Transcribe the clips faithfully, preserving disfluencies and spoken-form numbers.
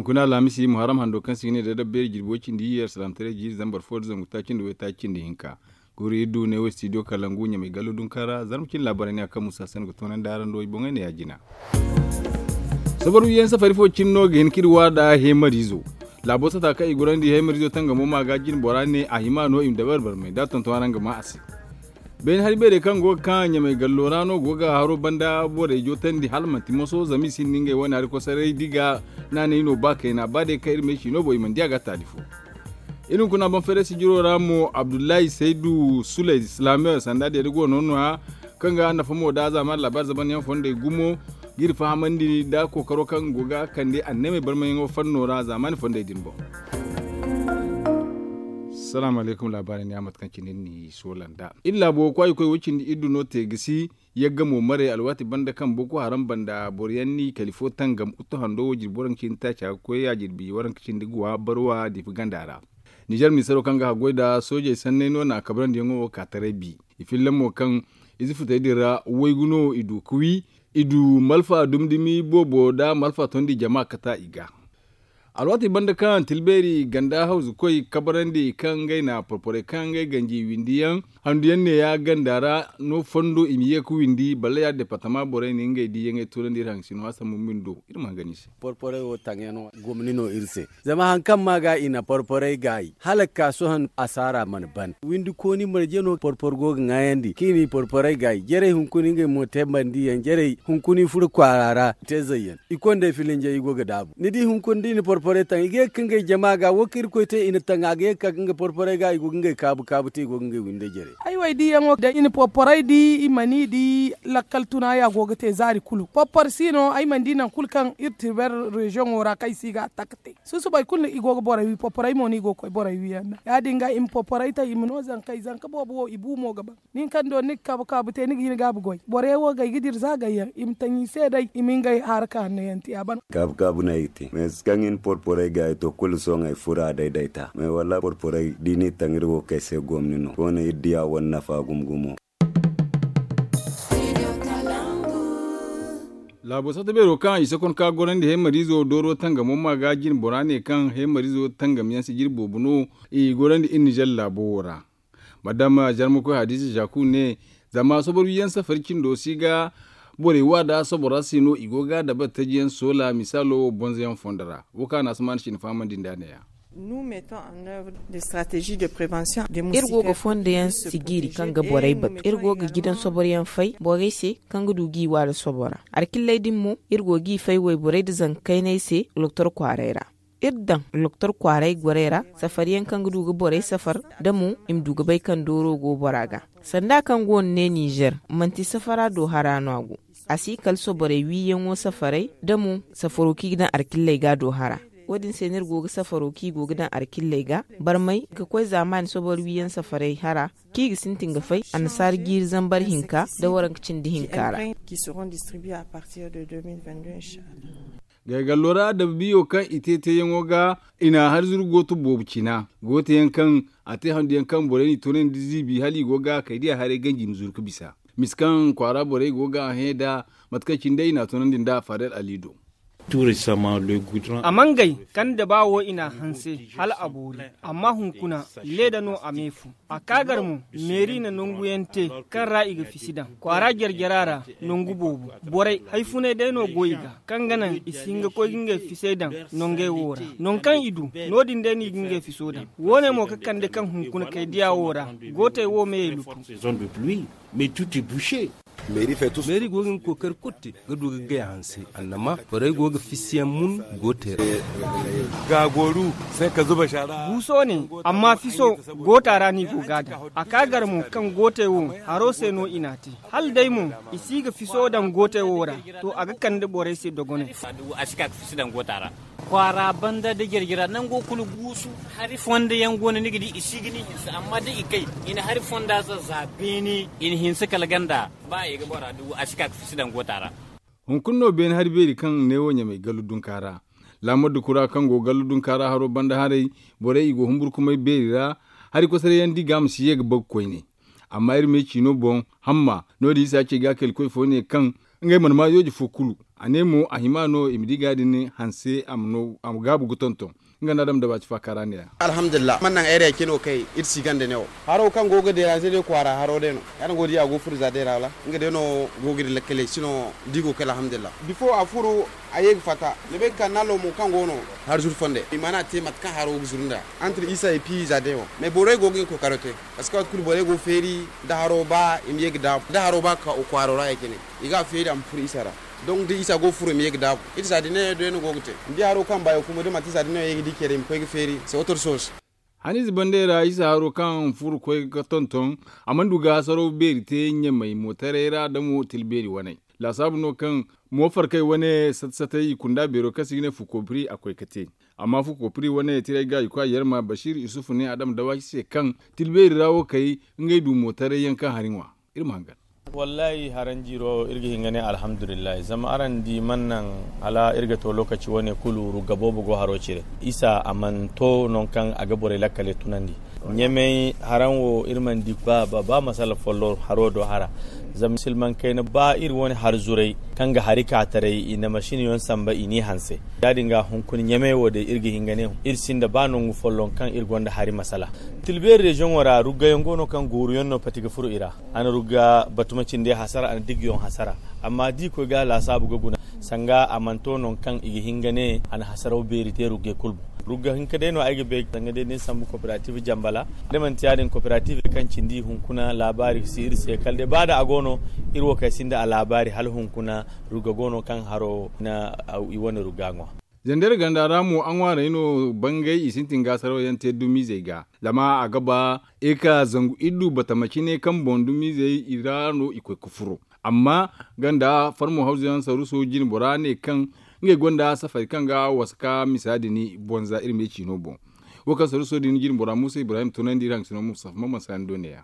Guna alhamisi muharram hando kaŋ se i ga ne da dabbeeri jirbi way cindi iyye alsalaamataray jiiri zambar fo da zangu taaci nda waytaaci nda hinka. Guuru iri du ne wo studio kalangu ɲamay gallo dunka ra zarma cine laabaarey ne a kaŋ musa se no ga toonandi araŋ do i boŋey ne ya- jina. Sabar wiyaŋ safari fo cine no ga hin ka iri waada heemariizo. Laabo sata kaŋ i gorandi heemariizo tangamo ma ga jine bora ne a hima no i ma dabari barmay da a tonton araŋ ga ma a se. Beene hari beerey kaŋ go ga ka ɲamay gallo ra no go ga haro banda borey jootandi hala manti moso zama i sinda ngey wane hari kosaray da i ga naanay no ba kayna ba day kaŋ iri ma ay ci no boŋ i mana di a ga taali fo. Iri hunkuna banfayray sijiro ra mo abdullahi saydu suley silaamiyo sanda deeda go no nooya kaŋ ga nafa mo da zaamaani laabaari zamanyaŋ fondey gumo ga iri fahamandi nda kookaro kaŋ go ga kande annamey barmayaŋo fanno ra zaamaani fondey din boŋ. Salaamu alaykum laabaari ne a mate kaŋ cine ni soola nda iri laabo kwaayikoy wo cindi iri du no te ga si. Yagga mo maray alwaati banda kaŋ boko haram banda boro yaŋ ni kali fo tangam uttu hando wo jirbi waranka cindi taaca ga koy a jirbi waranka cindi guwa barwa diifa ganda ra. Nizer minisaro kaŋ ga haggoy nda soojey sanney no na kabrandi yaŋo wo ka taray bi. I filla mo kaŋ ize futey din ra waygu no i du ga wi. I du malfa dumi-dumi boobo nda malfa tondi jama kata i ga. Alwaati banda kaŋ tilbeeri ganda hawzu koy kabrandi kaŋ ngey na porporey kaŋ ngey ganji windi yaŋ handu yaŋ ne ya ganda ra no fondo i ma ye ga windi bala ya departama borey na ngey di yaŋey toonandi iri haŋ sino hassan mummin do iri ma hangan i se. Porporey wo taŋ yaŋ no gomni no iri se. Zama hari kaŋ ma ga i na porporey gaayi hala ga ka sohõ asaara mana ban windi kooni marje no porpor go ga ŋwaayandi kaŋ i na i porporey gaayi jarey hunkuna ngey mo te bandiyaŋ jarey hunkuna i furo kwaara ra i te zayyaŋ i konda ay filinjey i go ga daabu ni di hunkuna da i na porporey taŋ i ga ye ga ka ngey jama ga wo kaŋ irkoy te i na taŋ a ga ye ga ka nga porporey ga i go ga ngey kaabu kaabu te i go ga ngey windey jarey. Ay wo ay diyaŋo da i na porporey di i mana i di lakkal tuna ya go ga te zaari kulu porpor si no ay mana di nangu kulu kaŋ iri tirber reziyoŋo ra kaŋ ay si ga a taka te. Susubay kulu i go ga borey wi porporey mo no i go ga koy borey wi yaŋ da ya- din ga i ma porporey taŋ i ma no zankey zanka boobo wo i bu mo ga ban. Nin kaŋ do ni ga kaabu kaabu te ni ga hin gaabu goy borey wo ga ay ga dira za gayyaŋ i ma taŋ i se day i ma ngey haraka hanno yaŋ te a ban. Kaabu kaabu no ay ga te mais kaŋ i na porporey ga ay to kulu sohõ ay furo a daydayta mais wallaahi porporey da i n'i taŋ iri wo ga ay se gomni no koone iri diya wane nafa gumo gumo. Laabo satta beero kaŋ i sakon ka gorandi heemariizo dooro tangamo ma ga jine bora ne kaŋ heemariizo tangam yaŋ si jire boobo no i gorandi iri nizer laabo wo ra. Madama zarmakoy hadiza zaku ne zama soborwiyaŋ safari cindo si ga borey wa da sobora se no i go ga dabari taji yaŋ soola misaalo wo bonzo yaŋ fondo ra wo kaŋ a na si maana cine fahamandi nda a ne- ya. Iri go ga fondo yaŋ sijiri kaŋ ga borey batu iri go ga gidan sobor yaŋ fay borey se kaŋ ga du g'i wa da sobora. Alkilley din mo iri go g'i fay wayborey nda zanka kayney se loktor kwaaray ra. Iri daŋ loktor kwaaray gorey ra safar yaŋ kaŋ ga du ga borey safar da mo i ma du ga bay kaŋ dooro go bora ga. Sanda kaŋ go no ne nizer manti safara do hara no a go. A si kala soborey wiiyaŋo safaray da mo safaro kaŋ i ga daŋ alkilley ga do hara. Wo- din se no iri go ga safaro kaŋ i go ga daŋ alkilley ga barmay ga koy zaamaani sobor wiiyaŋ safaray hara kaŋ i ga sintin ga fay annasaara jiiri zambar hinka da waranka cindi hinka ra. Gaygallo ra adababiyo kaŋ i te teeyaŋo ga i na hari zuru gooto boobo cina gooto yaŋ kaŋ a te handu yaŋ kaŋ borey n'i toonandi ziibi hala i go ga kay diya haray ganji ma zuru ga bisa. Misa kaŋ kwaara borey go ga a hẽ nda mate kaŋ cine day i na a toonandi nda fadel ali do. A mangay kande ba wo i na a hanse hala a boori. Amma hunkuna leeda no a me fu. A kaagar mo meeri na nangu yaŋ te kaŋ ra i ga fisi daŋ kwaara jare-jara ra. Nangu boobo borey hari funay day no go i ga kaŋ ga naŋ i si hin ga koy ga ngey fisey daŋ nangey wo ra. Nangu kaŋ i du no- din day no i ga ngey fiso daŋ. Wo- ne mo ga kande kaŋ hunkuna kay diya wo ra. Gootey wo meyey lutu. Meeri go ga nga kookari kulu te ga du ga gay a hanse annama borey go ga fisiyaŋ mun. Gootey ra. Guuso ne amma fiso goota ra no i go ga a daŋ. A kaagar mo kaŋ gootey wo haro se no i n'a te. Hala day mo i si ga fiso daŋ gootey wo ra. To a ga kande borey se dogonay. Kwaara banda da jare-jara nango kulu guusu. Hari fonda yaŋ go no ni ga di i si ga ni hinse amma da i kay i na hari fonda za za beene i na hinse kala ganda. Ba i ga bora du a si ka ga fisi daŋ goota ra. Hunkuna no beene hari beeri kaŋ ne wo ɲamay gallu dunka ra. Laamar da kura kaŋ go gallu dunka ra haro banda haray borey i go humburkumay beeri ra. Hari kosaray yaŋ di ga a ma si ye ga bagu koyne. Amma iri me ciino boŋ hamma no- din i si a ce ga kayna koy fo ne kaŋ ngey mana ma yooje fo kulu. A ne mo a hima no i ma di ga din hanse a ma gaabu ga tonton. Nga nda adama da ba ci faaka ra ne ya. Alhamdulillah man naŋ ay ra ya cino kay iri si ganda ne wo. Haro kaŋ go ga deranze day kwaara haro day no. Ya din go di a go furo za day ra wala nga day no go ga iri lakkaley sino da i go kay alhamdulillah. Bifo a furo a ye ga fatta ni bay ga ka nalo mo kaŋ go no. Har zuru fonde i mana te mate kaŋ haro ga zuru nda antre isa et puis za day wo. Mais borey go ga hin kookaro te. Parce que waati kulu borey go feeri da haro ba i ma ye ga daabu da haro ba ga ka kwaaro ra ya cine. I ga a feeri a ma furo isa ra. Donc da isa go ga furo i ma ye ga daabu. Iri za din ne day no go ga te ni di haro kaŋ baayo kuma da manti za din ne wo ye ga di care i ma koy ga feeri se otor soos. Hanize bandey ra isa haro kaŋ furo koy ga tonton. A mana du ga hasaraw beeri te ɲamay mootaray ra da mo tila beeri waney. Laasaabu no kaŋ moofarkey wane sata satay i kunda beero kaŋ se i ga ne fukopiri a koy ga te. Amma fukopiri wane tiray ga i koy a yarma basiir isufu ne adama dawaasi se kaŋ tila beeri ra wo kay ngey du mootaray yaŋ kaŋ hari ŋwa. Iri ma hangan. Wallaahi haranjiiro iri ga hin ga ne alhamdulillahi zama araŋ di mana naŋ hala iri ga to lookaci wane kulu rugga boobo go haro cire. Isa a mana to nangu kaŋ a ga borey lakkaley tunandi. Ɲamey haraŋ wo iri mana di ba ba masala folloŋ haro do hara. Zama silmaŋ kayna ba iri wane har zuray kaŋ ga hari ka taray i na masin yaŋ samba i n'i hanse. Ya- din ga hunkuna ɲamey wo day iri ga hin ga ne iri sinda ba nangu folloŋ kaŋ iri gonda hari masala. Tilbeeri reziyoŋo ra ruggayaŋ go no kaŋ gooruyaŋ no pati ga furo i ra. A na rugga batuma cindi hasara a na diggiyoŋ hasara. Amma da i koy ga laasaabu ga guna sanga a mana to nangu kaŋ i ga hin ga ne a na hasaraw beeri te ruggay kulu boŋ. Rugga hinka day no ay ga bay sanga day da ni sambu koperatiiv jambala. Da manti ya- din koperatiiv kaŋ cindi i hunkuna laabaari ga si iri se kala day ba da a go no iri wo kaŋ ay sinda a laabaari hala hunkuna rugga go no kaŋ haro na i wane rugga ŋwa. Zandar ganda ra mo a ŋwaaray no bangay i sintin ga saraw yaŋ te dumizey ga. Zama a ga ba eka zangu iddu batama cine kaŋ boŋ dumizey i ra no i koy ga furo. Amma ganda farmo hawzu yaŋ saruso jine bora ne kaŋ ngey gonda safari kaŋ ga wasa ka misa din bonza iri me ciino boŋ. Wo kaŋ saruso din jine bora muusa ibrahim tunandi iri haŋ sino musafa mamman sani do ne ya.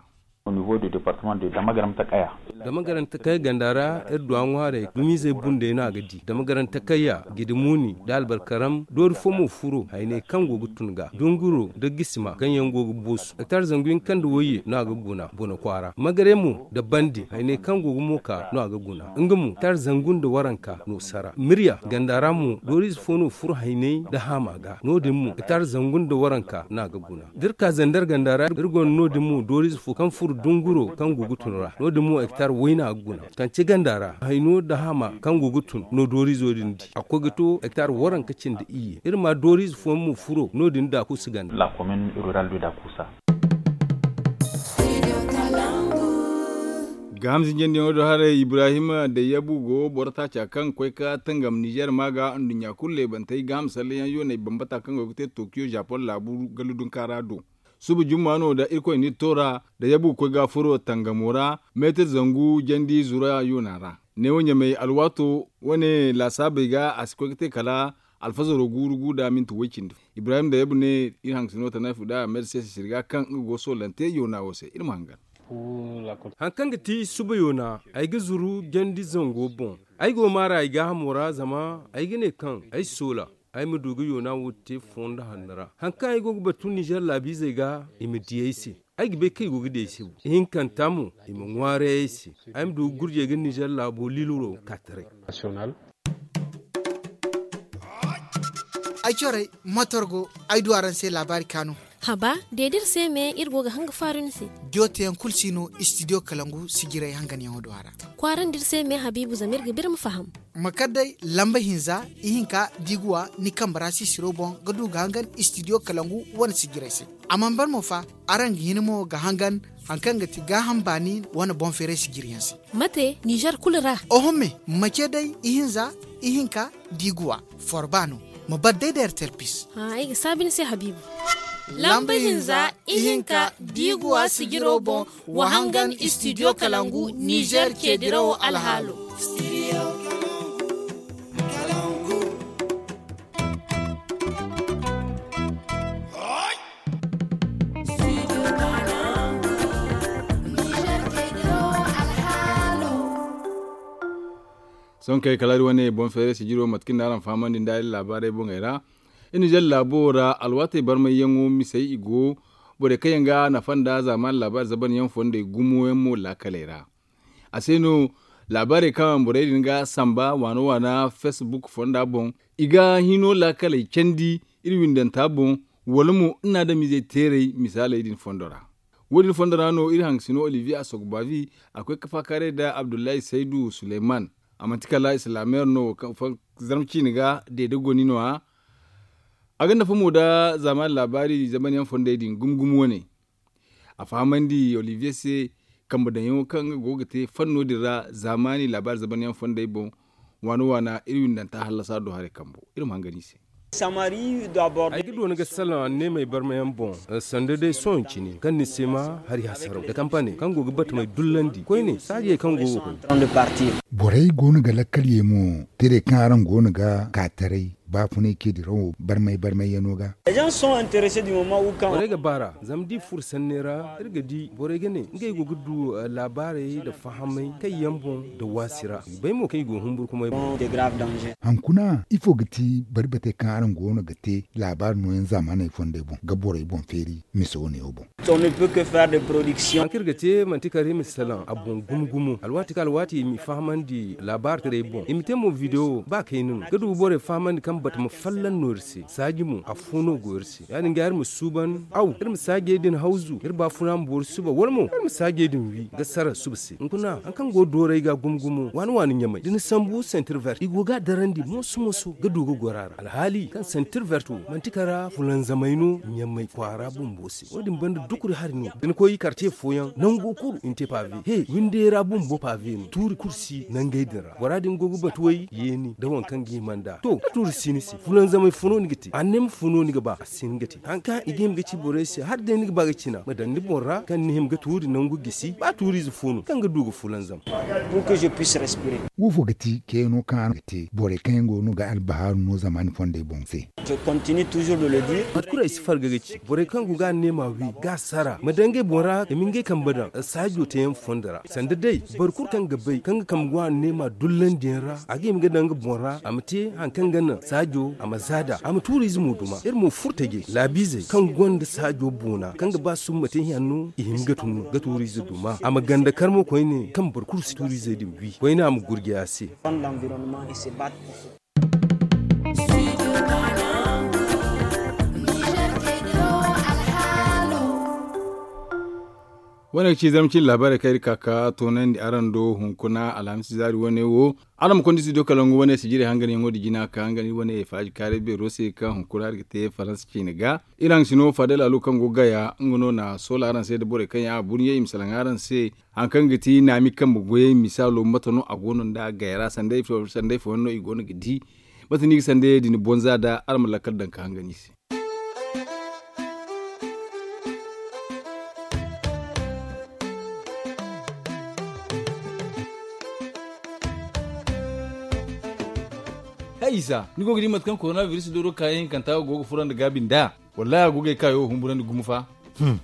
Dama garante kay ganda ra iri du a ŋwaaray dumizey bundey no a ga di dama garante kayya gidi muuni da albarkaram doori fo mo furo hayney kaŋ go ga tun ga dunguro nda gisima kaŋ yaŋ go ga boosu hektar zangu hinka nda wayye no a ga guna bone kwaara magare mo nda bandi hayney kaŋ go ga mooka no a ga guna nga mo hektar zangu nda waranka no sara mirya ganda ra mo dooriize fo no furo hayney nda haama ga no- din mo hektar zangu nda waranka no a ga guna da iri ka zandar ganda ra iri gonda no- din mo dooriize fo kaŋ furo dunguro kaŋ go ga tun ra no- din mo hektar wayna ga guna kance ganda ra hayno nda haama kaŋ go ga tun no dooriizo din di a koy ga to hektar waranka cindi iyye iri ma dooriize fooyaŋ mo furo no- din dakusa ganda. Gaaham zinjandiyaŋo do haray ibrahim da yabu go boro taaca kaŋ koy ka tangam nizer ma ga nduɲɲa kulu leebantey gaaham salleyaŋ yooney bambata kaŋ go ga te tokiyo japoŋ laabu gallu dunkaara do. Suba jumma no da irkoy n'iri toora da yabu ga koy ga furo tangamo ra meetir zangu jandi zura yoona ra. Neewo ɲamey alwaato wane laasaabey ga a si koy ga te kala alfazaro guuru gu da minti woy cindi fo ibrahim da yabu ne iri haŋ ga si no tanay fu da meetir se sisiri ga kaŋ nga go soolante yoona wo se iri ma hangan. Haŋ kaŋ ga ti suba yoona ay ga zuru jandi zango boŋ. Ay go maara ay gaahamo ra zama ay ga ne kaŋ ay soola ay ma du ga yoona wo te fondo hanno ra haŋ kaŋ ay go ga batu nizer laabiizey ga i ma di ay se. Ay ga bay kaŋ i go ga di ay se wo ihinkanta mo i ma ŋwaaray ay se. Ay ma du ga gurjey ga nizer laabo liiluro ka taray. Ay corey matorgo ay du araŋ se laabaari kaanu. Haba deedi iri se me iri go ga hanga faaru ni se. Diyo teyaŋ kulu si no istidiyo kalangu sijiray hanganyaŋo du a ra. Kwaarandi iri se me habiibu zama iri ga ba iri ma faham. Ma kar day lamba hinza ihinka da i ga wa ni kambe ra sisiro boŋ ga du ga hangan istidiyo kalangu wane sijiray se. A mana ban mo fa araŋ ga hin mo ga hangan haŋ kaŋ ga ti gaaham baani wane boŋ feeray sijiriyaŋ se. Mate nizer kulu ra. Oho me ma ce day ihinza ihinka da i ga wa forba no. Ma bar day da ertel pis. Ay ga saabi ni se habiibu. Lamba hinza ihinka da i ga wa sijiro boŋ wa hangan istidiyo kalangu nizer ceedirawo alhaalo. Sohõ kay kala iri wane boŋ feeray sijiro mate kaŋ ni araŋ fahamandi nda iri laabaarey boŋey ra. Iri nizer laabo ra alwaatey barmayyaŋo misey i go. Borey kaŋ yaŋ ga nafa nda zaamaani laabaari zabanyaŋ fondey gumo yaŋ mo laakaley ra. A se no Laabaarey kaŋ borey din ga samba waana waana facebook fonda boŋ, i ga hino laakaley candi iri windanta boŋ, wala mo iri na adamizey teeray misaaley din fondo ra. Wo- din fondo ra no iri hangasino olivier asogbavi a koy ka faakaaray nda abdullahi saydu suleyman. A manti kala islaameer no zarma ciine ga deede goni no- ya. A ga nafa mo nda zaamaani laabaari zamanyaŋ fondey din gumo gumo wane. A fahamandi olivier se kambe daŋyaŋo kaŋ nga go ga te fanno din ra zaamaani laabaari zamanyaŋ fondey boŋ. Waana waana iri windanta hallasa do haray kambo iri ma hangan i se. Ay ga doona ga salaŋ anneemey barmayaŋ boŋ, sanda day sohõ cine kaŋ ni si ma hari hasaraw da kampane kaŋ go ga batamey dullandi koyne saajey kaŋ go ga koy. Borey go no ga lakkal ye mo tirey kaŋ araŋ go no ga ka taray baafunay ce dirawo barmay barmayyaŋo ga. Borey ga baar'a zama da i furo sanney ra iri ga di borey ga ne ngey go ga du laabaarey nda fahamay kayyaŋ boŋ nda waasi ra i ga bay mo kaŋ i go humburkumay boŋ. Hankuna ifo ga ti barbatey kaŋ araŋ go no ga te laabaari nooyaŋ zaamaaney fondey boŋ ga borey boŋ feeri mise wo neewo boŋ? Haŋ kaŋ iri ga te manti kala iri ma salaŋ a boŋ gumo gumo alwaati kaŋ alwaati i m'i fahamandi laabaari taray boŋ i ma te mo videwo ba kayna no ga du ga borey fahamandi kaŋ batama fallaŋ no iri se saaji mo afo no go iri se ya- din ga iri ma suuban aw iri ma saajey din hawzu iri baafuna ma boori suba wala mo iri ma saajey din wi ga sara suba se hunkuna haŋ kaŋ go doorey ga gumo gumo waani waani ɲamay da ni sambu sentir vert i go ga a darandi mooso mooso ga du ga goro a ra alhaali kaŋ sentir vert wo manti kala fulanzamey no ɲamay kwaara bumbo se wo- din banda dukuri hari no da ni koy karce fooyaŋ nango kulu i na te pave he windey ra bumbo pave no tuuri kulu si nangey din ra bora din go ga batu way yeeni nda waŋ kaŋ ga hima nd'a to da tuuri si ni se fulanzamey fo no ni ga te anneema fo no ni ga ba a si ni ga te haŋ kaŋ i ga hima ga ci borey se hala day ni ga ba ga cina ma daŋ ni boŋ ra kaŋ ni hima ga tuuri nangu gisi ba tuuriize fo no kaŋ ga du ga fulanzam. Wo fo ga ti kayano kaŋ araŋ ga te borey kaŋ yaŋ go no ga albahaaru no zamaani fondey boŋ se? Mate kulu ay si farga ga ci borey kaŋ go ga anneema wi ga sara ma daŋ ngey boŋ ra i ma ngey kambe daŋ saajo teeyaŋ fondo ra sanda day boro kulu kaŋ ga bay kaŋ ga kambe go anneema dullandiyaŋ ra a ga hima ga daŋ nga boŋ ra a ma te haŋ kaŋ ga naŋ saajo a ma zaada a ma tuuriize mo duma iri mo furo tajey laabiizey kaŋ gonda saajo boona kaŋ ga ba summa te hanno i hima ga tun ga tuuriize duma a ma ganda karmo koyne kaŋ boro kulu si tuuriizey din wi koyne a ma gurjay a se. Wane ga ci zarma cine laabaarey kaŋ iri ka ka toonandi araŋ do hunkuna alhamis zaari wane wo. Araŋ ma konda studio kalangu wane sijirey hanganyaŋo da jina ka hangan iri wane faaji kaaray beero se kaŋ hunkuna iri ga te faransa ciine ga. Iri haŋ sino fadel alu kaŋ go gaya nga no na soola araŋ se nda borey kaŋ yaŋ a burɲey i ma salaŋ araŋ se. Haŋ kaŋ ga ti naami kambe goyey misaalo mate no a go no nda gaya ra sanday fooyaŋ no i go no ga di. Mate no i ga sanday din bonza nda araŋ ma lakkal daŋ ka hangan i se. Hay isa ni go ga di mate kaŋ korona biris dooro kaayaŋ hinkanta go ga furo nda gaabi nd'a? Wallahi a go ga ay kaayo humburandi gumo fa.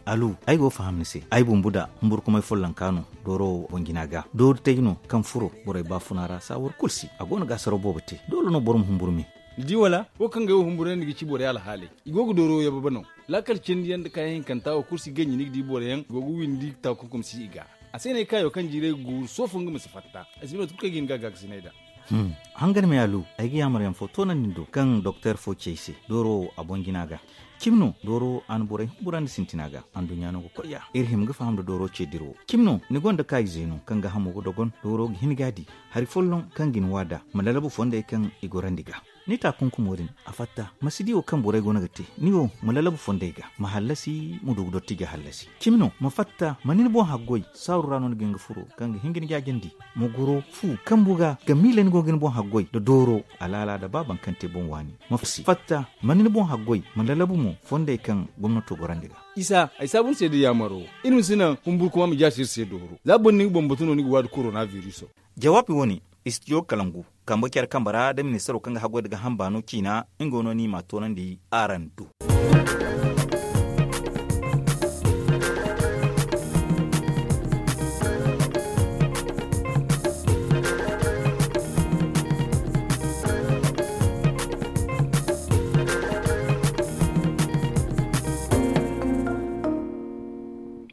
Alu ay go ga faham ni se ay bumbu da humburkumay follonka no dooro wo boŋ jina ga doori tay no kaŋ furo borey baafuna ra saawar kulu se a go no ga asaro boobo te doole no boro ma humburu me. Ni di wala wo kaŋ ga ay wo humburandi ga ci borey alhaaley i go ga dooro yababa no. Laakal cindi yaŋ nda kaayaŋ hinkanta wo kulu si ganji ni ga di boro yaŋ i go ga windi taakunkum si i ga. A se no ay kaayo kaŋ jiiray ga guuru soofo nga ma si fatta. Ay si bay mate kulu kaŋ ay ga hin ga a gaakasinay nd'a. Hangan me alu ay ga yaamar yaŋ fo toonandi ni do kaŋ doktor fo ci ay se dooro wo a boŋ jina ga. Cimi no dooro wo a na borey humburandi sintina ga anduɲɲa no ga koy ya iri hima ga faham nda dooro ce dira wo cimi no ni gonda kaayize no kaŋ ga hamo ga dogon dooro ga hin ga a di hari folloŋ kaŋ ga ni waada ma lalabu fondey kaŋ i gorandi ga. Ni taakunkumo din a fatta ma si di wo kaŋ borey go no ga te ni wo ma lalabu fondey ga ma hallasi ma du ga dotti ga hallasi cimi no ma fatta ma ni ni boŋ haggoy saaru ra no ni ga hin ga furo kaŋ ga hin ga ni jaajandi. Ma goro fu kambu ga ga miila ni go ga ni boŋ haggoy nda dooro alaala nda ba baŋ kaŋ te boŋ waani ma si fatta ma ni ni boŋ haggoy ma lalabu mo fondey kaŋ gomnato gorandi ga. Isa ay saabu ni se da yaamaro iri ma si naŋ humburkuma ma jaasi iri se dooro za boro ni ga bambatu no ni ga waadi korona viriso. Jawaabi wo-ne istijo kalangu kambe care kambe ra da ministaro kaŋ ga haggoy nda ga hamba no ciina nga wo no ni m'a toonandi araŋ do.